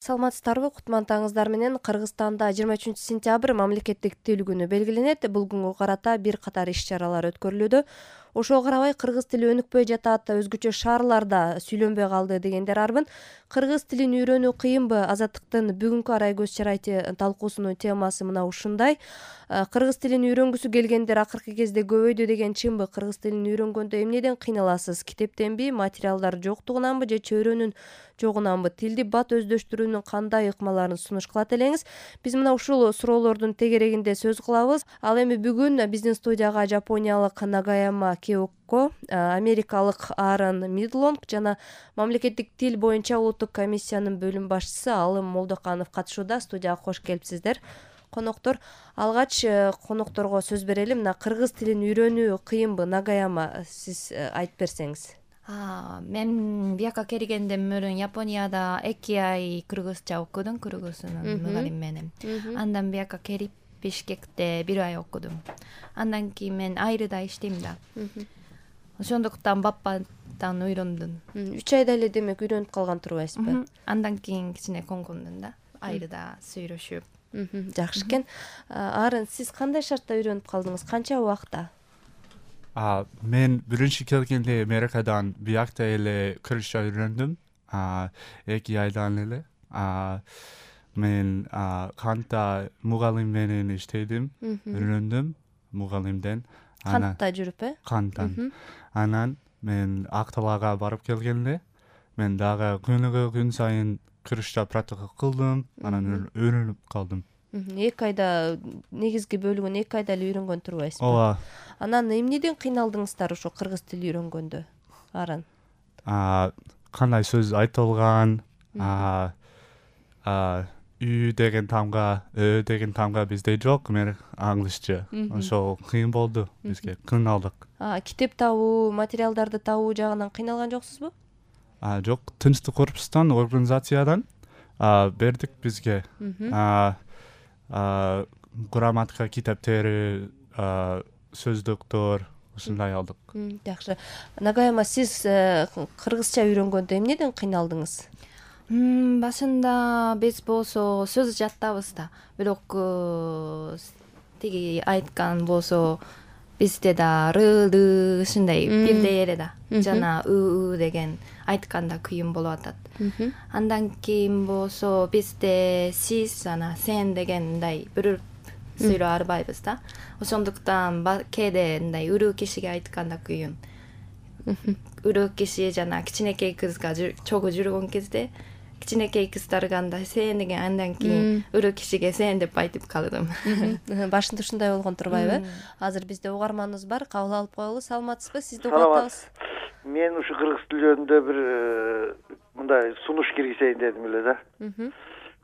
Саламатсыздарбы, кутмандыгыңыздар менен. Кыргызстанда 23 сентябрь мамлекеттик тил күнү белгиленет. Бул күнгө карата бир катар иш-чаралар өткөрүлүүдө. Ошого карабай кыргыз тили өнүкпөй жатат, өзгөчө шаарларда сүйлөнбөй калды дегендер арбын. Кыргыз тилин үйрөнүү кыйынбы? Азаттыктын бүгүнкү арай көз чарайчы талкуусунун темасы мына ушундай. Кыргыз тилин үйрөнгүсү келгендер акыркы кезде көбөйдү деген чынбы? Кыргыз тилин үйрөнгөндө эмнеден кыйналасыз? Китептенби, материалдар жоктугунанбы же чөйрөнүн жогунанбы? Тилди бат өздөштүрүүнүн кандай ыкмаларын сунуш кылат элеңиз? Биз мына ушул суроолордун тегерегинде сөз кылабыз. Ал эми бүгүн биздин студияга жапониялык Нагаяма Кеоко, америкалык Аарон Мидлонг жана мамлекеттик тил боюнча улуттук комиссиянын бөлүм башчысы Алым Молдоканов катышууда. Студияга кош келипсиздер, коноктор. Алгач конокторго сөз берели. Мына кыргыз тилин үйрөнүү кыйынбы? Нагаяма, сиз айтып берсеңиз. Мен бияка келгенден мурун Японияда 2 ай кыргызча окудум, кыргызчанын мугалим менен. Андан бияка келип Бишкекте 1 ай окудум. Андан кийин мен Айрыда иштейм да. Ошондуктан баппадан үйрөндүм. 3 айда эле демек үйрөнүп калган турбайсызбы? Андан кийин кичине коңгондум да. Айрыда сүйлөшүп. Жакшы экен. Арын, сиз кандай шартта үйрөнүп калдыңыз? Канча убакта? Мен биринчи келгенде Америкадан биякта эле кыргызча үйрөндүм. 2 айдан эле. Мен Кантта мугалим менен иштедим, үйрөндүм мугалимден. Кантта жүрүп, Канттан. Анан мен Акталага барып келгенде мен дагы күнүгө күн сайын кыргызча практика кылдым, анан үйрөнүп калдым. 2 айда негизги бөлүгүн 2 айда эле үйрөнгөн турбайсызбы? Ооба. Анан эмнеден кыйналдыңыздар ошо кыргыз тили үйрөнгөндө? Арын. Кандай сөз айтылган, үй деген тамга, деген тамга бизде жок, мен англисче. Ошо кыйын болду бизге, кыйналдык. Китеп табуу, материалдарды табуу жагынан кыйналган жоксузбу? Жок, Тынчтык корпустан, организациядан бердик бизге. Грамматика китептери, сөздүктөр, ушундай алдык. Жакшы. Нагаяма, сиз кыргызча үйрөнгөндө эмнеден кыйналдыңыз? Башында биз болсо сөз жаттабыз да. Бирок тиги айткан болсо бизде да ры ушундай бирдей эле да. Жана деген айтканда кыйын болуп атат. Андан кийин болсо бизде сиз жана сен дегендай бир сүйлөп арбайбыз да. Ошондуктан кээде мындай үрүү кишиге айтканда кыйын. Үрүү киши жана кичинекей кызга чогуу жүргөн кезде кичинекей кыздарга андай сен деген, андан кийин үрүү кишиге сен деп айтып калдым. Башында ушундай болгон турбайбы? Азыр бизде угарманыбыз бар, кабыл алып коелу. Саламатсызбы? Сизди угуп атабыз. Мен ушу кыргыз тил жөнүндө бир мындай сунуш киргизейин дедим эле да.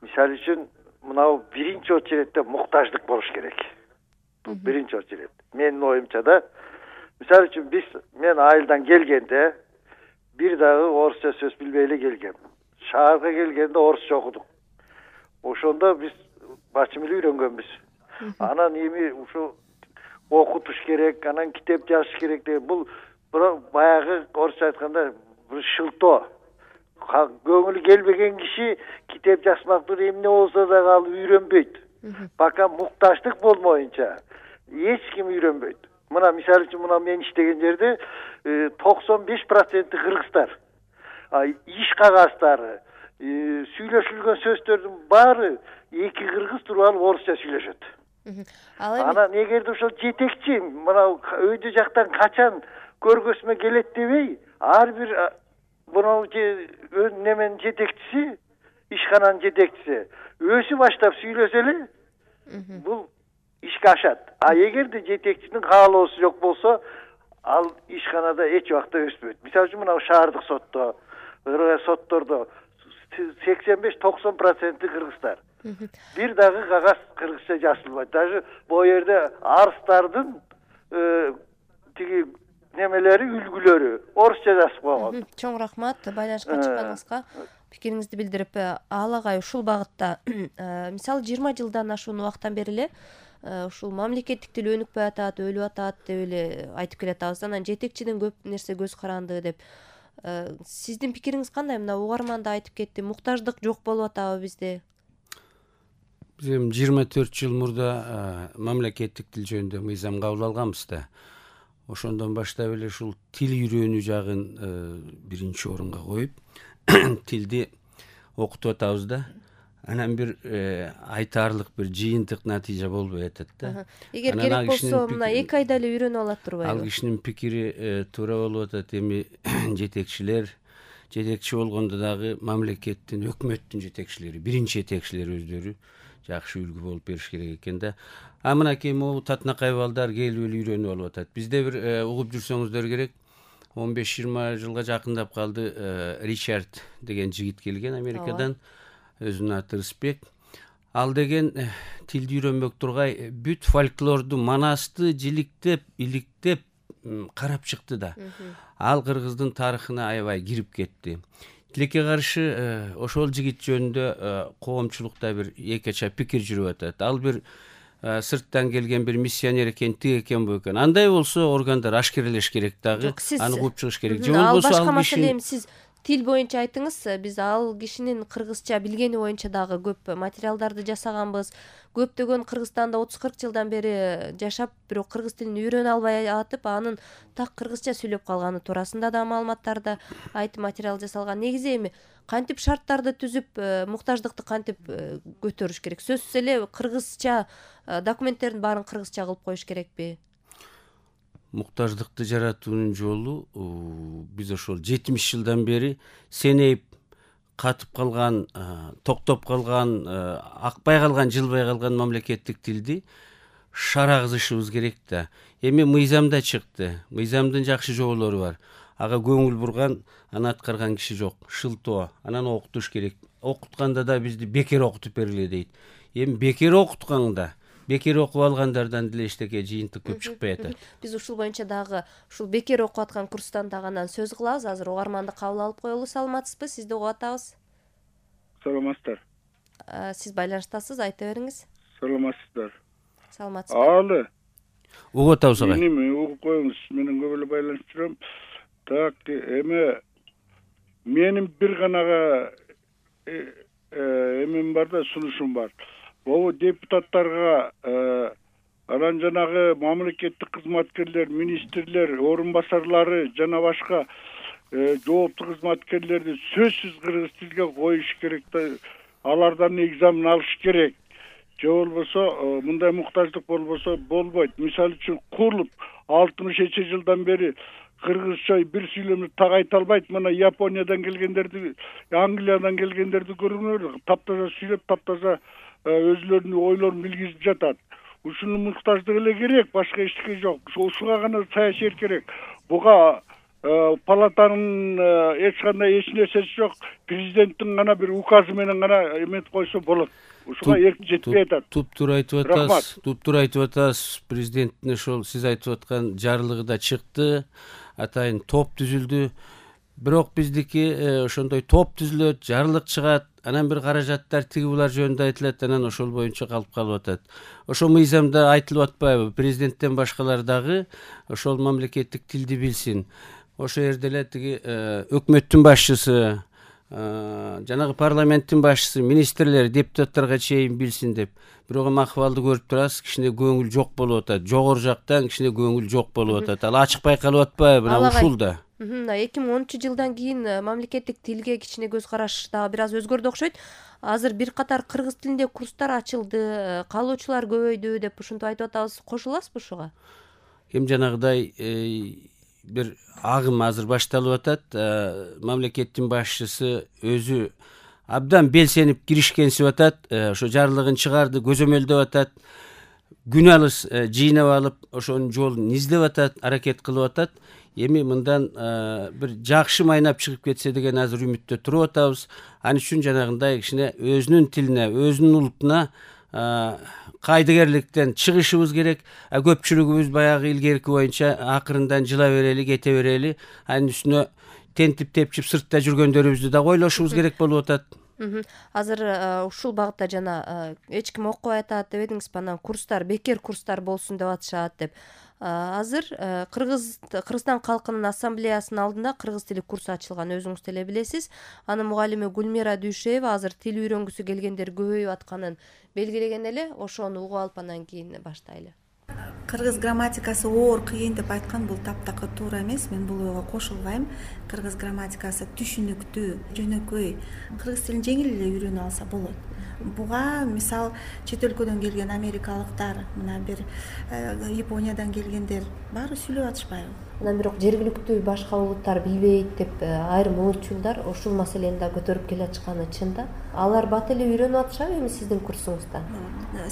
Мисалы үчүн мынау биринчи очередде муктаждык болуш керек. Биринчи очеред. Менин оюмча да. Мисалы үчүн мен айылдан келгенде бир дагы орусча сөз билбей эле келгем. Шаарга келгенде орусча окудук. Ошондо биз бачым эле үйрөнгөнбүз. Анан эми ушу окутуш керек, анан китеп жазыш керек деген бул баягы орусча айтканда бир шылтоо. Көңүлү келбеген киши китеп жазмактыр, эмне болсо дагы ал үйрөнбөйт. Пока муктаждык болмоюнча эч ким үйрөнбөйт. Мына мисалы үчүн мына мен иштеген жерде 95% кыргыздар. Иш кагаздары, сүйлөшүлгөн сөздөрдүн баары эки кыргыз туруп алып орусча сүйлөшөт. Анан эгерде ошол жетекчи мына өйдө жактан качан көргөзмө келет дебей, ар бир мына неменин жетекчиси, ишкананын жетекчиси өзү баштап сүйлөсө эле бул ишке ашат. Эгерде жетекчинин каалоосу жок болсо, ал ишканада эч убакта өспөйт. Мисалы үчүн мына шаардык соттордо 85-90% кыргыздар. Бир дагы кагаз кыргызча жазылбайт. Даже бул жерде арыздардын тиги немелери, үлгүлөрү орусча жазып койгон. Чоң рахмат байланышка чыкканыңызга. Пикириңизди билдирип, Ал агай ушул багытта мисалы 20 жылдан ашуун убакыттан бери эле ушул мамлекеттик тил өнүкпөй атат, өлүп атат деп эле айтып келатабыз. Анан жетекчиден көп нерсе көз каранды деп. Сиздин пикириңиз кандай? Мына угарман да айтып кетти, муктаждык жок болуп атабы бизде? Биз эми 24 жыл мурда мамлекеттик тил жөнүндө мыйзам кабыл алганбыз да. Ошондон баштап эле ушул тил үйрөнүү жагын биринчи орунга коюп, тилди окутуп атабыз да. Анан бир айтаарлык бир жыйынтык натыйжа болбой атат да. Эгер керек болсо мына 2 айда эле үйрөнүп алат турбайбы? Ал кишинин пикири туура болуп атат. Эми жетекчи болгондо дагы мамлекеттин, өкмөттүн жетекчилери, биринчи жетекчилери өздөрү жакшы үлгү болуп бериш керек экен да. Мынакей могу татынакай балдар келип эле үйрөнүп алып атат. Бизде бир угуп жүрсөңүздөр керек, 15-20 жылга жакындап калды, Ричард деген жигит келген Америкадан. Өзүнүн аты Рысбек. Ал деген тилди үйрөнбөк тургай бүт фольклорду, манасты жиликтеп, иликтеп карап чыкты да. Ал кыргыздын тарыхына аябай кирип кетти. Тилекке каршы ошол жигит жөнүндө коомчулукта бир экеча пикир жүрүп атат. Ал бир сырттан келген бир миссионер экен, тиг экен, бу экен. Андай болсо органдар ашкерелеш керек дагы, аны кууп чыгыш керек. Же болбосо башка маселе. Эми сиз тил боюнча айттыңыз, биз ал кишинин кыргызча билгени боюнча дагы көп материалдарды жасаганбыз. Көптөгөн Кыргызстанда 30-40 жылдан бери жашап, бирок кыргыз тилин үйрөнө албай атып, анын так кыргызча сүйлөп калганы туурасында да маалыматтарды айтып материал жасалган. Негизи эми кантип шарттарды түзүп, муктаждыкты кантип көтөрүш керек? Сөзсүз эле кыргызча документтердин баарын кыргызча кылып коюш керекпи? Муктаждыкты жаратуунун жолу биз ошол 70 жылдан бери сенейип катып калган, токтоп калган, акпай калган, жылбай калган мамлекеттик тилди шарагызышыбыз керек да. Эми мыйзамда чыкты. Мыйзамдын жакшы жоболору бар. Ага көңүл бурган, аны аткарган киши жок. Шылтоо. Анан окутуш керек. Окутканда да бизди бекер окутуп бергиле дейт. Эми бекер окутканда, бекер окуп алгандардан деле эчтеке жыйынтык көп чыкпай атат. Биз ушул боюнча дагы ушул бекер окуп аткан курстан дагы анан сөз кылабыз. Азыр угарманды кабыл алып коелу. Саламатсызбы? Сизди угуп атабыз. Саламатсыздар. Сиз байланыштасыз, айта бериңиз. Саламатсыздар. Саламатсызбы? Алы. Угуп атабыз агай. Эми угуп коюңуз, менен көп эле байланышып жүрөм. Так, эми менин бир ганага эмем бар да, сунушум бар. Бул депутаттарга анан жанагы мамлекеттик кызматкерлер, министрлер, орун басарлары жана башка жооптуу кызматкерлерди сөзсүз кыргыз тилге коюш керек да, алардан экзамен алыш керек. Же болбосо мындай муктаждык болбосо болбойт. Мисалы үчүн курулуп 60 жылдан бери кыргызча бир сүйлөмдү так айта албайт. Мына Япониядан келгендерди, Англиядан келгендерди көрүңөр, таптаза сүйлөп, таптаза өзүлөрүнүн ойлорун билгизип жатат. Ушунун муктаждыгы эле керек, башка эчтеке жок. Ушуга гана саясат керек. Буга палатанын эч кандай эч нерсеси жок. Президенттин гана бир указы менен гана эметип койсо болот. Ушуга эркин жетпей атат. Туптуура айтып атасыз. Туптуура айтып атасыз. Президенттин ошол сиз айтып аткан жарлыгы да чыкты. Атайын топ түзүлдү. Бирок биздики ошондой топ түзүлөт, жарлык чыгат, анан бир каражаттар тиги булар жөнүндө айтылат, анан ошол боюнча калып атат. Ошол мыйзамда айтылып атпайбы? Президенттен башкалар дагы ошол мамлекеттик тилди билсин. Ошол жерде эле тиги өкмөттүн башчысы, жанагы парламенттин башчысы, министрлер, депутаттарга чейин билсин деп. Бирок эми акыбалды көрүп турасыз, кичине көңүл жок болуп атат. Жогору жактан кичине көңүл жок болуп атат. Ал ачык байкалып атпайбы? Мына ушул да. 2013 жылдан кийин мамлекеттик тилге кичине көз караш дагы бир аз өзгөрдү окшойт. Азыр бир катар кыргыз тилинде курстар ачылды, каалоочулар көбөйдү деп ушинтип айтып атабыз. Кошуласызбы ушуга? Эми жанагыдай бир агым азыр башталып атат. Мамлекеттин башчысы өзү абдан белсенип киришкенсип атат. Ошо жарлыгын чыгарды, көзөмөлдөп атат. Күн алыс жыйнап алып, ошонун жолун издеп атат, аракет кылып атат. Эми мындан бир жакшы майнап чыгып кетсе деген азыр үмүттө туруп атабыз. Аны үчүн жанагындай кичине өзүнүн тилине, өзүнүн улутуна кайдыгерликтен чыгышыбыз керек. Көпчүлүгүбүз баягы илгерки боюнча акырындан жыла берели, кете берели. Анын үстүнө тентип тепчип сыртта жүргөндөрүбүздү да ойлошубуз керек болуп атат. Азыр ушул багытта жана эч ким окубай атат деп эдиңиз, анан курстар, бекер курстар болсун деп атышат деп. Азыр Кыргызстан калкынын ассамблеясынын алдында кыргыз тили курсу ачылган, өзүңүз деле билесиз. Анын мугалими Гүлмира Дүйшеева азыр тил үйрөнгүсү келгендер көбөйүп атканын белгилеген эле. Ошону угуп алып андан кийин баштайлы. Кыргыз грамматикасы оор, кыйын деп айткан бул таптакыр туура эмес. Мен бул ойго кошулбайм. Кыргыз грамматикасы түшүнүктүү, жөнөкөй. Кыргыз тилин жеңил эле үйрөнүп алса болот. Буга мисал чет өлкөдөн келген америкалыктар, мына бир Япониядан келгендер баары сүйлөп атышпайбы? Анан бирок жергиликтүү башка улуттар билбейт деп айрым улутчулдар ушул маселени да көтөрүп келе жатканы чын да. Алар бат эле үйрөнүп атышабы эми сиздин курсуңузда?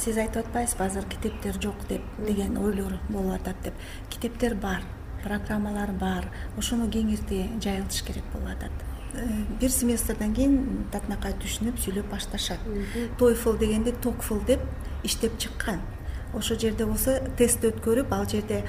Сиз айтып атпайсызбы азыр китептер жок деп деген ойлор болуп атат деп. Китептер бар, программалар бар. Ошону кеңирти жайылтыш керек болуп атат. Бир семестрден кийин татынакай түшүнүп сүйлөп башташат. TOEFL дегенди TOEFL деп иштеп чыккан. Ошол жерде болсо тест өткөрүп, ал жерде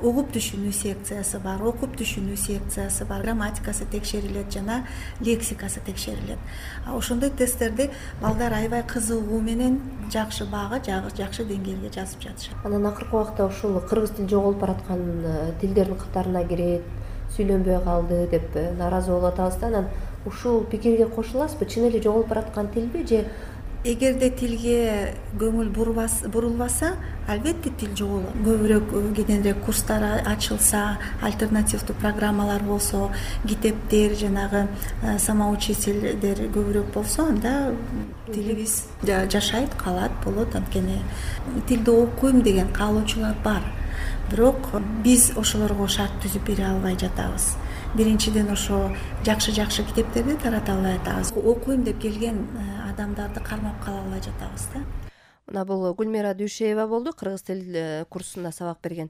угуп түшүнүү секциясы бар, окуп түшүнүү секциясы бар, грамматикасы текшерилет жана лексикасы текшерилет. Ошондой тесттерди балдар аябай кызыгуу менен жакшы баага, жакшы деңгээлге жазып жатышат. Анан акыркы убакта ушул кыргыз тили жоголуп бараткан тилдердин катарына кирет, сүйлөнбөй калды деп нааразы болуп атабыз да. Анан ушул пикирге кошуласызбы? Чын эле жоголуп бараткан тилби же? Эгерде тилге көңүл бурулбаса, албетте тил жоголот. Көбүрөөк кененирээк курстар ачылса, альтернативдүү программалар болсо, китептер, жанагы самоучительдер көбүрөөк болсо, анда тилибиз жашайт, калат, болот. Анткени тилди окуйм деген каалоочулар бар. Бирок биз ошолорго шарт түзүп бере албай жатабыз. Биринчиден ошо жакшы китептерди тарата албай жатабыз. Окуйм деп келген адамдарды кармап кала албай жатабыз да. Мына бул Гүлмира Дүйшеева болду, кыргыз тил курсунда сабак берген.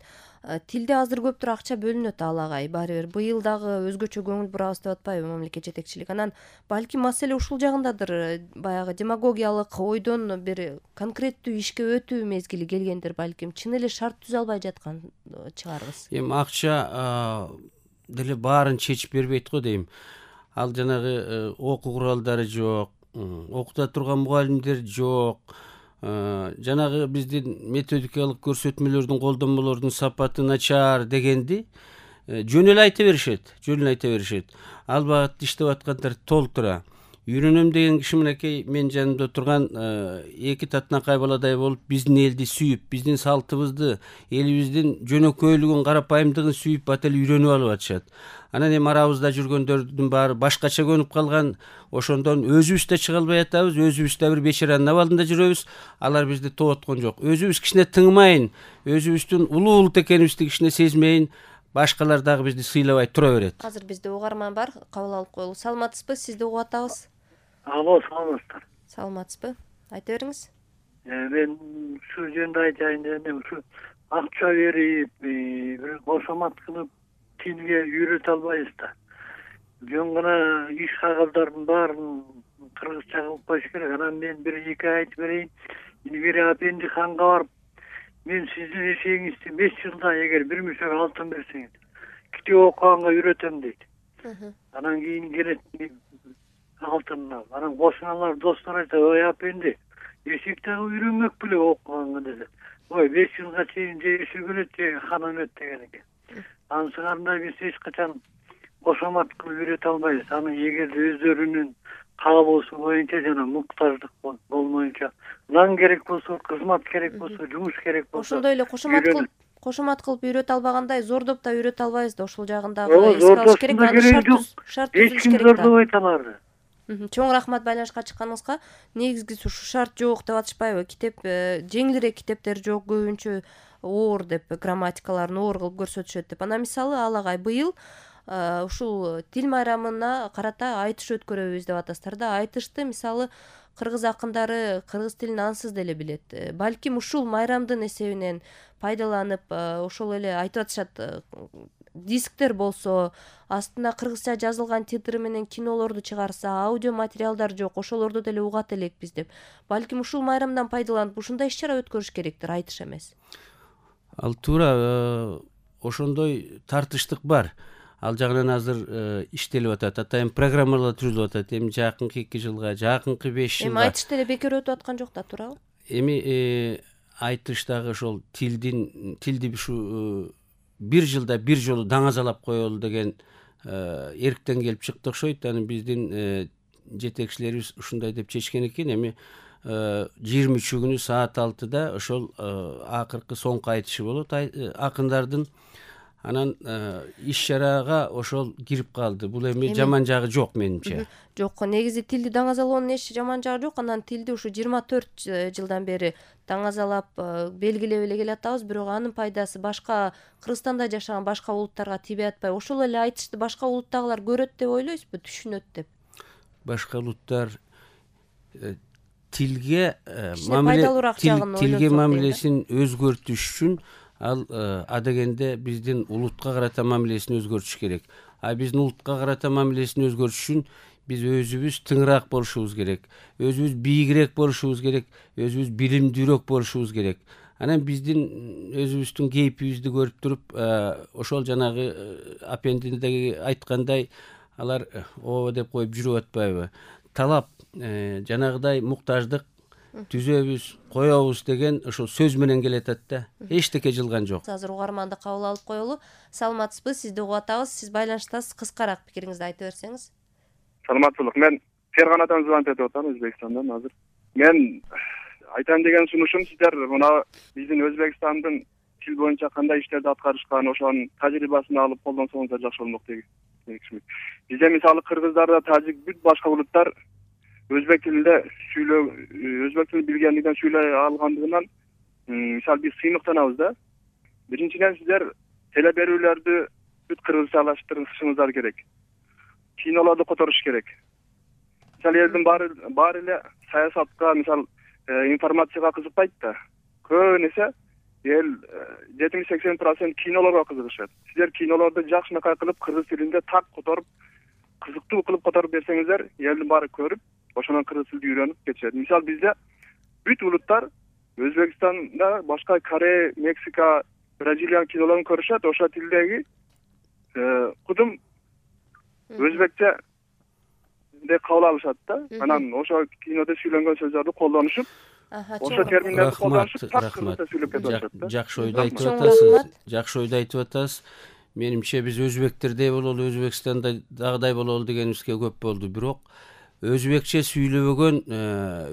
Тилде азыр көптүр акча бөлүнөт алагай. Баары бир быйыл дагы өзгөчө көңүл бурабыз деп атпайбы мамлекет жетекчилиги? Анан балким маселе ушул жагындадыр. Баягы демагогиялык ойдон бир конкреттүү ишке өтүү мезгили келгендир балким. Чын эле шарт түзө албай жаткан чыгарбыз. Эми акча деле баарын чечип бербейт го дейм. Ал жанагы окуу куралдары жок, окута турган мугалимдер жок. Жанагы биздин методикалык көрсөтмөлөрдүн, колдонмолордун сапаты начар дегенди жөн эле айта беришет. Ал багытта иштеп аткандар толтура. Үйрөнөм деген киши мынакей мен жанымда турган эки татынакай баладай болуп, биздин элди сүйүп, биздин салтыбызды, элибиздин жөнөкөйлүгүн, карапайымдыгын сүйүп бат эле үйрөнүп алып атышат. Анан эми арабызда жүргөндөрдүн баары башкача көнүп калган. Ошондон өзүбүз да чыга албай атабыз, өзүбүз да бир бечаранын абалында жүрөбүз. Алар бизди тооткон жок. Өзүбүз кичине тыңмайын, өзүбүздүн улуу улут экенибизди кичине сезмейин, башкалар дагы бизди сыйлабай тура берет. Азыр бизде угарман бар, кабыл алып коелу. Саламатсызбы? Сизди угуп атабыз. Алло, саламатсыздар. Саламатсызбы? Айта бериңиз. Мен ушул жөнүндө айтайын дегенде, ушу акча берип, бир кошомат кылып тилге үйрөтө албайбыз да. Жөн гана иш кагылдардын баарын кыргызча кылып коюш керек. Анан мен бир эки айтып берейин. Илгери Апендиханга барып, мен сиздин эшегиңизди 5 жылда эгер бир мүшөк алтын берсеңиз, китеп окуганга үйрөтөм дейт. Анан кийин келет алтын алып. Анан кошуналар, достор айтат, ой Апенди, эшек дагы үйрөнмөк беле окуганга десе. Ой, 5 жылга чейин же эшек өлөт, же хан өлөт деген экен. Ансыгандай биз эч качан кошомат кылып үйрөтө албайбыз. Аны эгерде өздөрүнүн каалоосу боюнча жана муктаждык болмоюнча, нан керек болсо, кызмат керек болсо, жумуш керек болсо. Ошондой эле кошомат кылып үйрөтө албагандай зордоп да үйрөтө албайбыз да. Ошол жагындагы эске алыш керек. Шарт түзүш керек да. Зордобойт аларды. Чоң рахмат байланышка чыкканыңызга. Негизгиси ушу шарт жок деп атышпайбы? Китеп жеңилирээк китептер жок, көбүнчө оор деп, грамматикаларын оор кылып көрсөтүшөт деп. Анан мисалы алагай быйыл ушул тил майрамына карата айтыш өткөрөбүз деп атасыздар да. Айтышты мисалы кыргыз акындары кыргыз тилин ансыз деле билет. Балким ушул майрамдын эсебинен пайдаланып, ошол эле айтып атышат, дисктер болсо, астына кыргызча жазылган титри менен кинолорду чыгарса, аудио материалдар жок, ошолорду деле угат элекпиз деп. Балким ушул майрамдан пайдаланып ушундай иш-чара өткөрүш керектир, айтыш эмес. Ал туура, ошондой тартыштык бар. Ал жагынан азыр иштелип атат. Атайын программалар түзүлүп атат. Эми жакынкы 2 жылга, жакынкы 5 жылга. Эми айтыш деле бекер өтүп аткан жок да, туурабы? Эми айтыштагы ошол тилди ушу бир жылда бир жолу даңазалап коелу деген эрктен келип чыкты окшойт. Анан биздин жетекчилерибиз ушундай деп чечкен экен. Эми 23 күнү саат 6-да ошол акыркы соңку айтышы болот акындардын. Анан иш-чарага ошол кирип калды. Бул эми жаман жагы жок менимче. Жок, негизи тилди даңазалоонун эч жаман жагы жок. Анан тилди ушу 24 жылдан бери даңазалап белгилеп эле келатабыз, бирок анын пайдасы башка Кыргызстанда жашаган башка улуттарга тибей атпайбы? Ошол эле айтышты башка улуттагылар көрөт деп ойлойсузбу, түшүнөт деп? Башка улуттар тилге мамилесин өзгөртүш үчүн ал адегенде биздин улутка карата мамилесин өзгөртүш керек. Биздин улутка карата мамилесин өзгөртүш үчүн биз өзүбүз тыңыраак болушубуз керек, өзүбүз бийигирээк болушубуз керек, өзүбүз билимдүүрөөк болушубуз керек. Анан биздин өзүбүздүн кейпибизди көрүп туруп, ошол жанагы аппендиндеги айткандай алар ооба деп коюп жүрүп атпайбы? Талап жанагыдай муктаждык түзөбүз, коебуз деген ошол сөз менен келатат да. Эчтеке жылган жок. Азыр угарманды кабыл алып коелу. Саламатсызбы? Сизди угуп атабыз. Сиз байланыштасыз. Кыскараак пикириңизди айта берсеңиз. Саламаттуулук. Мен Ферганадан звонок этип атам, Өзбекстандан азыр. Мен айтам деген сунушум, сиздер мына биздин Өзбекстандын тил боюнча кандай иштерди аткарышкан, ошонун тажрыйбасын алып колдонсоңуздар жакшы болмок деген. Бизде мисалы кыргыздарда, тажик, бүт башка улуттар өзбек тилинде өзбек тилин билгендигинен сүйлөй алгандыгынан мисалы биз сыймыктанабыз да. Биринчиден сиздер теле берүүлөрдү бүт кыргызчалаштырышыңыздар керек. Кинолорду которуш керек. Мисалы элдин баары эле саясатка, мисалы информацияга кызыкпайт да. Көп эсе эл 70-80% кинолорго кызыгышат. Сиздер кинолорду жакшынакай кылып кыргыз тилинде так которуп, кызыктуу кылып которуп берсеңиздер, элдин баары көрүп, ошондон кыргыз тилди үйрөнүп кетишет. Мисалы бизде бүт улуттар Өзбекстанда, башка Корея, Мексика, Бразилия кинолорун көрүшөт, ошол тилдеги кудум өзбекче деп кабыл алышат да. Анан ошол кинодо сүйлөнгөн сөздөрдү колдонушуп, ошо терминдерди колдонушуп, так кыргызча сүйлөп кетишет да. Жакшы ойду айтып атасыз. Жакшы ойду айтып атасыз. Менимче биз өзбектердей бололу, Өзбекстанда дагыдай бололу дегенибизге көп болду. Бирок өзбекче сүйлөбөгөн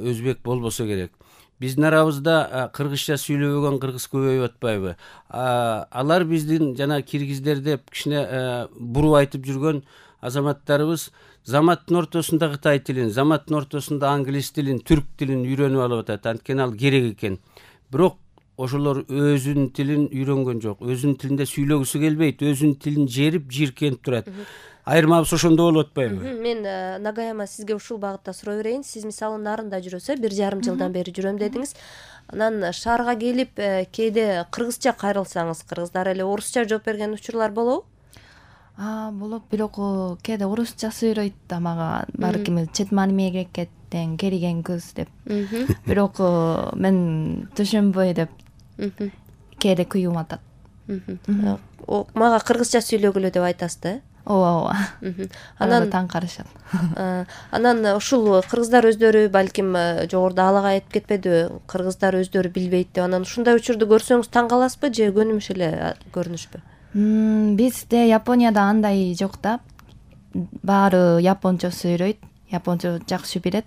өзбек болбосо керек. Биздин арабызда кыргызча сүйлөбөгөн кыргыз көбөйүп атпайбы? Алар биздин жана киргиздер деп кичине буруп айтып жүргөн азаматтарыбыз заматтын ортосунда Кытай тилин, заматтын ортосунда англис тилин, түрк тилин үйрөнүп алып атат. Анткени ал керек экен. Бирок ошолор өзүнүн тилин үйрөнгөн жок. Өзүнүн тилинде сүйлөгүсү келбейт, өзүнүн тилин жерип, жийиркенип турат. Айырмабыз ошондо болуп атпайбы? Мен Нагаяма сизге ушул багытта суроо берейин. Сиз мисалы Нарында жүрөсүз, 1,5 жылдан бери жүрөм дедиңиз. Анан шаарга келип кээде кыргызча кайрылсаңыз, кыргыздар эле орусча жооп берген учурлар болобу? Болот, бирок кээде орусча сүйлөйт да мага. Балким чет мамлекеттен келген кыз деп. Бирок мен түшүнбөй деп кээде күйүм атат. Мага кыргызча сүйлөгүлө деп айтасыз да? Ооба. Анан таң карашат. Анан ушул кыргыздар өздөрү балким жогоруда алага айтып кетпедиби? Кыргыздар өздөрү билбейт деп. Анан ушундай учурду көрсөңүз таң каласызбы же көнүмүш эле көрүнүшпү? Бизде Японияда андай жок да. Баары японча сүйлөйт, японча жакшы билет.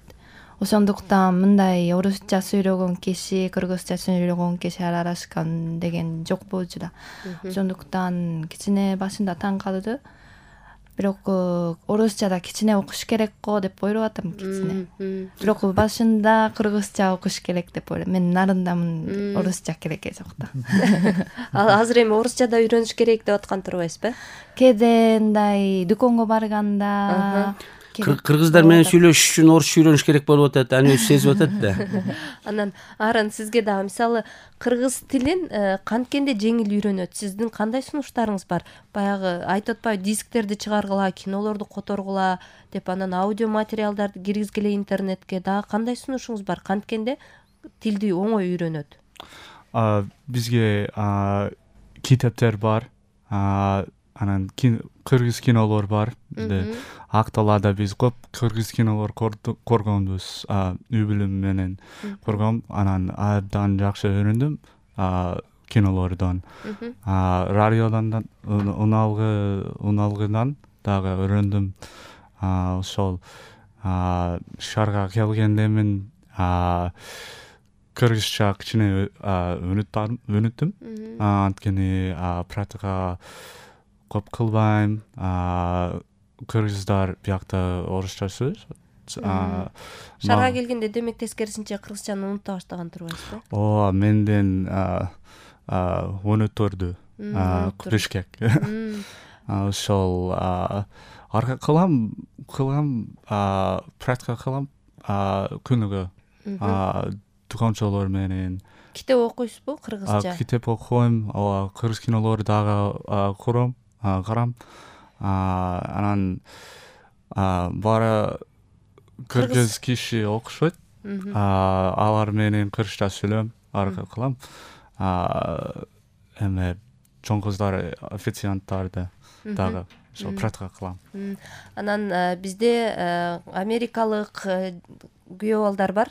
Ошондуктан мындай орусча сүйлөгөн киши, кыргызча сүйлөгөн киши аралашкан деген жок болчу да. Ошондуктан кичине башында таң калды. Бирок орусчада кичине окуш керек го деп ойлоп атам кичине. Бирок башында кыргызча окуш керек деп ойлойм. Мен Нарындамын, орусча кереги жок да. Азыр эми орусчада үйрөнүш керек деп аткан турбайсызбы? Кээде мындай дүкөнгө барганда кыргыздар менен сүйлөшүш үчүн орусча үйрөнүш керек болуп атат, аны өзү сезип атат да. Анан Арын сизге дагы мисалы кыргыз тилин канткенде жеңил үйрөнөт? Сиздин кандай сунуштарыңыз бар? Баягы айтып атпайбы, дисктерди чыгаргыла, кинолорду которгула деп, анан аудио материалдарды киргизгиле интернетке. Дагы кандай сунушуңуз бар? Канткенде тилди оңой үйрөнөт? Бизге китептер бар. анан кыргыз кинолор бар. Бизде Акталада биз көп кыргыз кинолор көргөнбүз. Үй бүлөм менен көргөм. Анан абдан жакшы үйрөндүм кинолордон. Радиодон уналгыдан дагы үйрөндүм. Ошол шаарга келгенде мен кыргызча кичине өнүттүм. Анткени практика көп кылбайм. Кыргыздар биякта орусча сөз. Шаарга келгенде демек тескерисинче кыргызчаны унута баштаган турбайсызбы? Ооба, менден өнөттөрдү Бишкек. Ошол арка кылам, практика кылам күнүгө. Туканчалар менен. Китеп окуйсузбу кыргызча? Китеп окуйм, кыргыз кинолорду дагы карам. Анан бара кыргыз киши окушот. Алар менен кыргызча сүйлөм, арка кылам. Эме чоң кыздар, официанттарды дагы ошо практика кылам. Анан бизде америкалык күйөө балдар бар,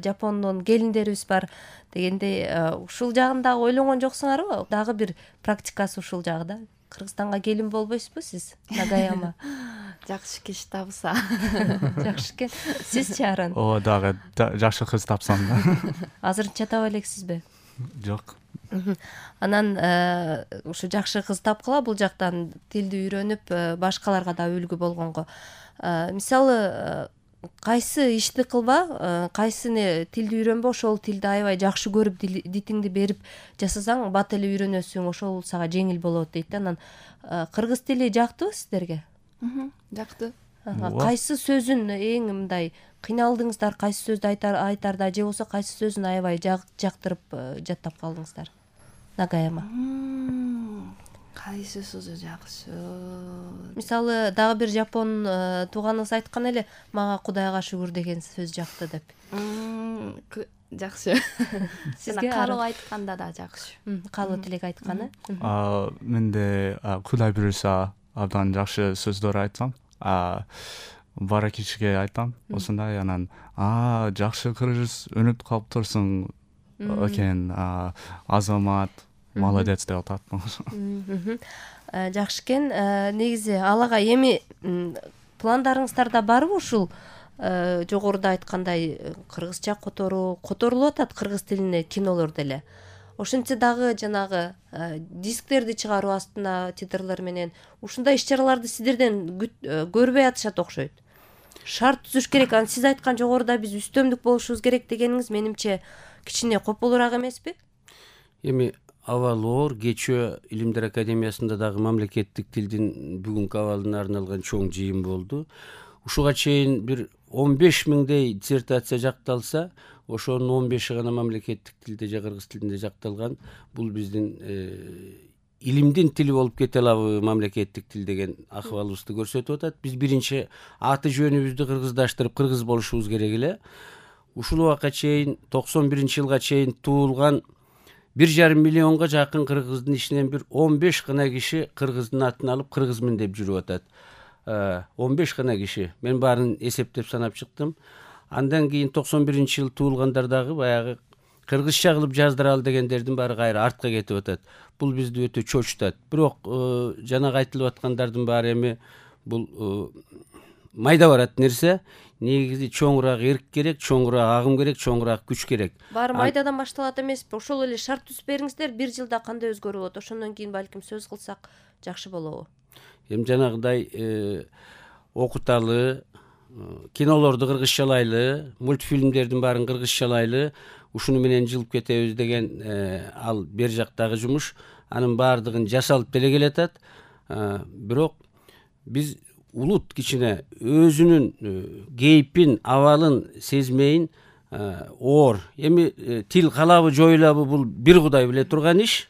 Жапондон келиндерибиз бар дегендей, ушул жагын дагы ойлонгон жоксуңарбы? Дагы бир практикасы ушул жагы да. Кыргызстанга келин болбойсузбу сиз? Нагаяма. Жакшы киши тапса. Жакшы экен. Сизчи Аран? Дагы жакшы кыз тапсам да. Азырынча таба элексизби? Жок. Анан ушу жакшы кыз тапкыла бул жактан тилди үйрөнүп башкаларга да үлгү болгонго. Мисалы кайсы ишти кылба, кайсыны тилди үйрөнбө, ошол тилди аябай жакшы көрүп дитиңди берип жасасаң бат эле үйрөнөсүң, ошол сага жеңил болот дейт. Анан кыргыз тили жактыбы сиздерге? Жакты. Кайсы сөзүн эң мындай кыйналдыңыздар, кайсы сөздү айтарда же болбосо кайсы сөзүн аябай жактырып жаттап калдыңыздар? Нагаяма. Кайсы сөзү жакшы? Мисалы дагы бир жапон тууганыңыз айткан эле, мага Кудайга шүгүр деген сөз жакты деп. Жакшы. Сизге калуу айтканда да жакшы. Калуу тилек айтканы? Менде Кудай буйруса абдан жакшы сөздөр айтсам, бара кишиге айтам, ошондой. Анан жакшы кыргыз өнүп калыптырсың экен, азамат, молодец деп атат. Жакшы экен. Негизи алага эми пландарыңыздарда барбы ушул жогоруда айткандай кыргызча которулуп атат кыргыз тилине кинолор деле. Ошентсе дагы жанагы дисктерди чыгаруу астына титрлер менен ушундай иш-чараларды сиздерден көрбөй атышат окшойт. Шарт түзүш керек. Анан сиз айткан жогоруда биз үстөмдүк болушубуз керек дегениңиз менимче кичине копулураак эмеспи? Эми абалоор кечөө Илимдер академиясында дагы мамлекеттик тилдин бүгүнкү абалына арналган чоң жыйын болду. Ушуга чейин бир 15 миңдей диссертация жакталса, ошонун 15-и гана мамлекеттик тилде же кыргыз тилинде жакталган. Бул биздин илимдин тили болуп кете алабы мамлекеттик тил деген акыбалыбызды көрсөтүп атат. Биз биринчи аты жөнүбүздү кыргыздаштырып кыргыз болушубуз керек эле. Ушул убакка чейин 91-жылга чейин туулган 1,5 миллионго жакын кыргыздын ичинен бир 15 гана киши кыргыздын атын алып кыргызмын деп жүрүп атат. 15 гана киши. Мен баарын эсептеп санап чыктым. Андан кийин 91-жыл туулгандар дагы баягы кыргызча кылып жаздыралы дегендердин баары кайра артка кетип атат. Бул бизди өтө чочутат. Бирок жанагы айтылып аткандардын баары эми бул майда барат нерсе. Негизи чоңураак эрк керек, чоңураак агым керек, чоңураак күч керек. Баары майдадан башталат эмеспи? Ошол эле шарт түзүп бериңиздер, 1 жылда кандай өзгөрүп болот? Ошондон кийин балким сөз кылсак жакшы болобу? Эми жанагыдай окуталы, кинолорду кыргызчалайлы, мультфильмдердин баарын кыргызчалайлы, ушуну менен жылып кетебиз деген ал бер жактагы жумуш. Анын баардыгын жасалып деле келатат. Бирок биз улут кичине өзүнүн кейпин, абалын сезмейин оор. Эми тил калабы жоюлабы бул бир Кудай биле турган иш.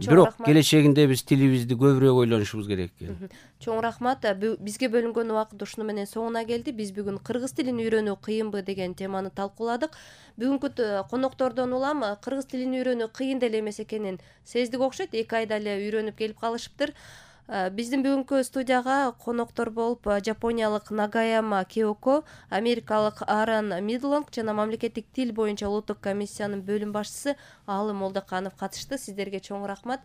Бирок келечегинде биз тилибизди көбүрөөк ойлонушубуз керек экен. Чоң рахмат. Бизге бөлүнгөн убакыт ушуну менен соңуна келди. Биз бүгүн кыргыз тилин үйрөнүү кыйынбы деген теманы талкууладык. Бүгүнкү коноктордон улам кыргыз тилин үйрөнүү кыйын деле эмес экенин сездик окшойт. 2 айда эле үйрөнүп келип калышыптыр. Биздин бүгүнкү студияга коноктор болуп жапониялык Нагаяма Киоко, америкалык Аарон Мидлонг жана мамлекеттик тил боюнча улуттук комиссиянын бөлүм башчысы Аалым Молдоканов катышты. Сиздерге чоң рахмат.